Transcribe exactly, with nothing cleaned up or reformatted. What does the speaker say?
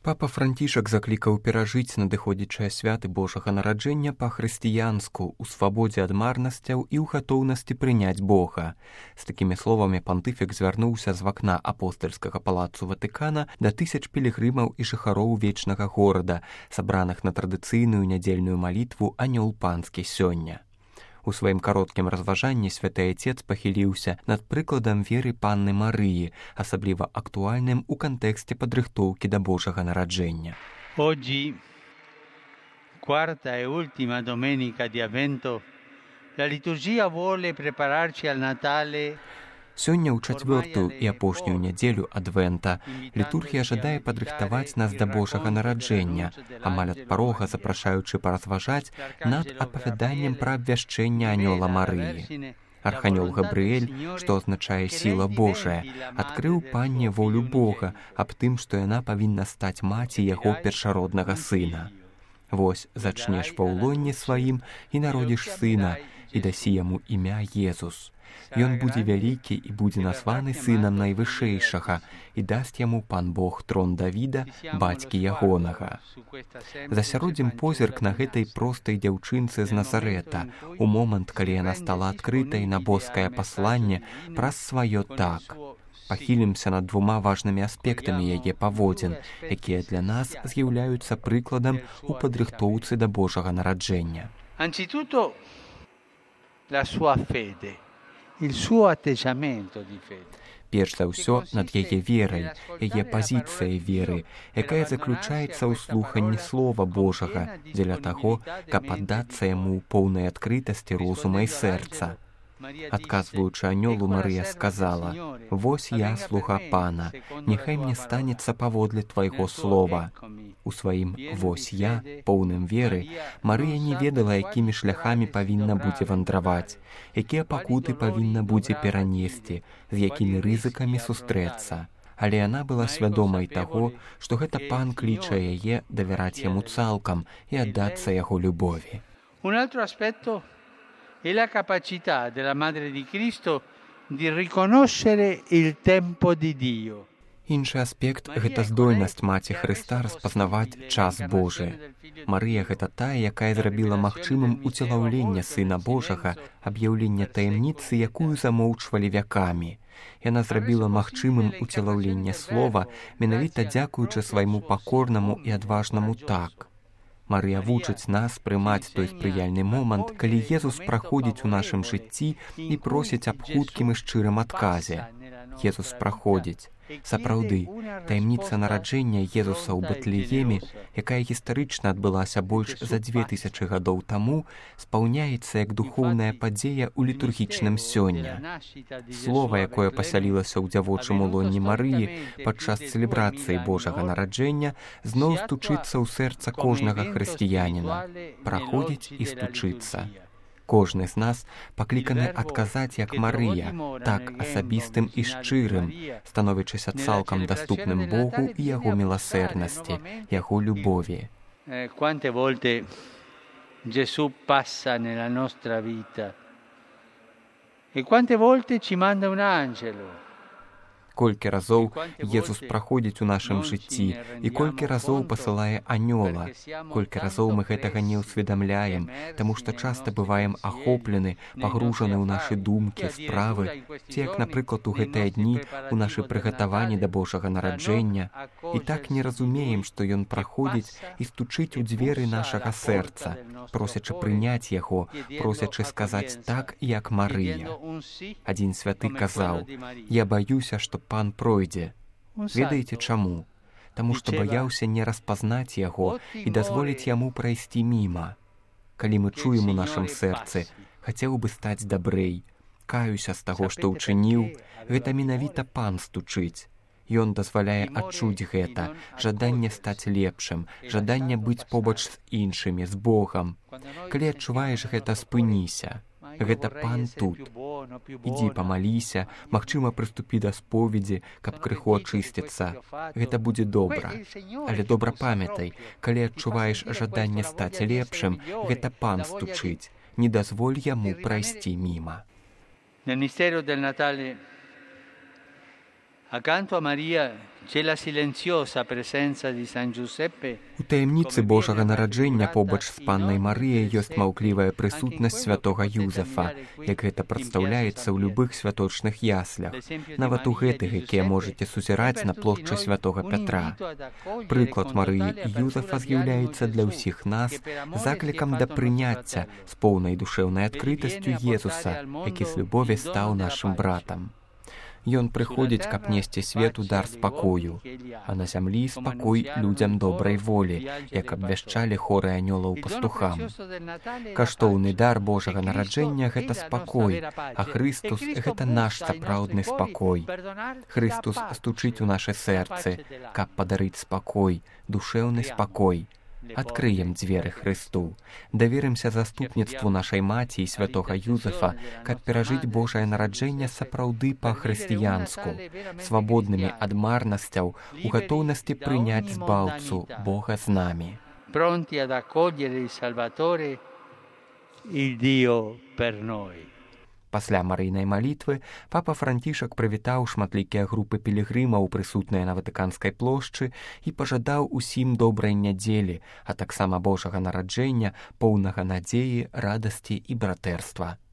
Папа Францішак заклікаў перажыць надыходзячыя святы Божага нараджэння па-хрысціянску, у свабодзе ад марнасцяў і ў гатоўнасці прыняць Бога. З такімі словамі пантыфік звярнуўся з вакна апостальскага палацу Ватыкана да тысяч пілігрымаў і жыхароў вечнага горада, сабраных на традыцыйную нядзельную малітву «Анёл панскі» сёння. У сваім кароткім разважанні святы Айцец пахіліўся над прыкладам веры Панны Марыі, асабліва актуальным у кантэксце падрыхтоўкі да Божага нараджэння. Oggi, quarta e ultima domenica di Avvento, la liturgia vuole prepararci al Natale. Сёння ў чацвёртую і апошнюю нядзелю адвента літургія жадае падрыхтаваць нас да Божага нараджэння, амаль ад парога запрашаючы паразважаць над апавяданнем пра абвяшчэнне анёла Марыі. Арханёл Габрыэль, што азначае сіла Божая, адкрыў панне волю Бога аб тым, што яна павінна стаць маці яго першароднага сына. Вось зачнеш ва ўлонні сваім і народзіш сына, і дасі яму імя Езус. Ён будзе вялікі і будзе названы сынам найвышэйшага, і дасць яму пан Бог трон Давіда, бацькі ягонага. Засяродзім позірк на гэтай простай дзяўчынцы з Назарэта, у момант, калі яна стала адкрытай на боскае пасланне праз сваё так. Пахілімся над двума важнымі аспектамі яе паводзін, якія для нас з'яўляюцца прыкладам у падрыхтоўцы да Божага нараджэння. Anzitutto la sua fede, il suo atteggiamento di fede. Перш за ўсё над яе верай, яе пазіцыяй веры, якая заключаецца ў слуханні Слова Божага дзеля таго, каб аддацца яму ў поўнай адкрытасці розума і сэрца. Адказваючы анёлу, Марыя сказала: «Вось я, слуга пана, няхай мне станецца паводле твайго слова». У сваім «вось я», поўным веры, Марыя не ведала, якімі шляхамі павінна будзе вандраваць, якія пакуты павінна будзе перанесці, з якімі рызыкамі сустрэцца. Але яна была свядомай таго, што гэта пан кліча яе давяраць яму цалкам і аддацца яго любові. Un altro aspetto è la capacità della Madre di Cristo di riconoscere il tempo di Dio. Іншы аспект – гэта здольнасць Маці Хрыста распазнаваць час Божы. Марыя – гэта тая, якая зрабіла магчымым уцелаўленне Сына Божага, аб'яўленне таямніцы, якую замоўчвалі вякамі. Яна зрабіла магчымым уцелаўленне слова, менавіта дзякуючы свайму пакорнаму і адважнаму так. Марыя вучыць нас прымаць той спрыяльны момант, калі Езус праходзіць у нашым жыцці і просіць аб хуткім і шчырым адказе. Езус праходзіць. Сапраўды, таямніца нараджэння Езуса ў Бэтлееме, якая гістарычна адбылася больш за дзве тысячы гадоў таму, спаўняецца як духоўная падзея ў літургічным сёння. Слова, якое пасялілася ў дзявочым улонні Марыі падчас цэлебрацыі Божага нараджэння, зноў стучыцца ў сэрца кожнага хрысціяніна, праходзіць і стучыцца. Кожны з нас пакліканы адказаць як Марыя, так асабістым і шчырым, становячыся цалкам даступным Богу і яго міласэрнасці, яго любові. Quante volte Gesù passa nella nostra vita e quante volte ci manda un angelo. Колькі разоў Езус праходзіць у нашым жыцці і колькі разоў пасылае анёла. Колькі разоў мы гэтага не ўсведамляем, таму што часта бываем ахоплены, пагружаны ў нашы думкі, справы, ці як, напрыклад, у гэтыя дні у нашы прыгатаванні да Божага нараджэння, і так не разумеем, што ён праходзіць і стучыць у дзверы нашага сэрца, просячы прыняць яго, просячы сказаць так, як Марыя. Адзін святы казаў: «Я баюся, што пан пройдзе». Ведаеце чаму? Таму што баяўся не распазнаць яго і дазволіць яму прайсці міма. Калі мы чуем у нашым сэрцы: «Хацеў бы стаць дабрэй, каюся з таго, што ўчыніў», гэта менавіта пан стучыць. Ён дазваляе адчуць гэта, жаданне стаць лепшым, жаданне быць побач з іншымі, з Богам. Калі адчуваеш гэта, спыніся. Гэта пан тут. Ідзі памаліся, магчыма, прыступі да споведзі, каб крыху ачысціцца. Гэта будзе добра. Але добра памятай, калі адчуваеш жаданне стаць лепшым, гэта пан стучыць. Не дазволь яму прайсці міма. Nel mistero del Natale Accanto a Maria c'è la silenziosa presenza di San Giuseppe. У таямніцы Божага нараджэння побач з паннай Марыяй ёсць маўклівая прысутнасць святога Юзефа, як гэта прадстаўляецца ў любых святочных яслях, нават у гэтых, якія можаце сузіраць на плошчы святога Пятра. Прыклад Марыі і Юзефа з'яўляецца для ўсіх нас заклікам да прыняцця з поўнай душэўнай адкрытасцю Езуса, які з любові стаў нашым братам. Ён прыходзіць, каб несці свету дар спакою, а на зямлі спакой людзям добрай волі, як абвяшчалі хоры анёлаў пастухам. Каштоўны дар Божага нараджэння — гэта спакой, а Хрыстус — гэта наш сапраўдны спакой. Хрыстус стучыць у нашы сэрцы, каб падарыць спакой, душэўны спакой. Адкрыем дзверы Хрысту, даверымся заступніцтву нашай маці і святога Юзефа, каб перажыць Божае нараджэнне сапраўды па-хрысціянску, свабоднымі ад марнасцяў, у гатоўнасці прыняць збаўцу Бога з намі. Pronti ad accogliere il Salvatore, il Dio per noi. Пасля марыйнай малітвы папа Францішак прывітаў шматлікія групы пілігрымаў, прысутныя на Ватыканскай плошчы, і пажадаў усім добрай нядзелі, а таксама Божага нараджэння, поўнага надзеі, радасці і братэрства.